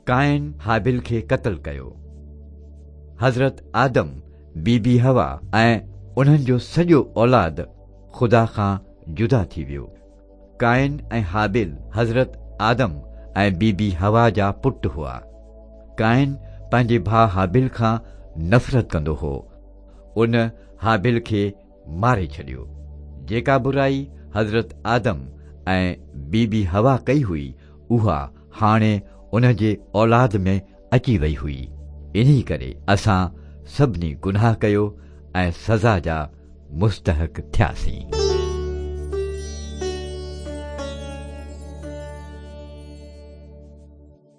قائن هابيل کي قتل ڪيو. حضرت آدم، بي بي حوا ۽ انهن جو سڄو اولاد خدا کان جدا ٿي ويو. قائن ۽ هابيل حضرت آدم ۽ بي بي حوا جا پٽ هئا. قائن پنهنجي ڀاء هابيل کان نفرت ڪندو هو. ان هابيل کي ماري ڇڏيو. جيڪا برائي حضرت آدم ۽ بي بي حوا ڪئي هئي، اها هاڻي ان جي اولاد ۾ اچي وئي هئي. انهي ڪري اسان سڀني گناهه ڪيو ۽ سزا جا مستحق ٿياسين.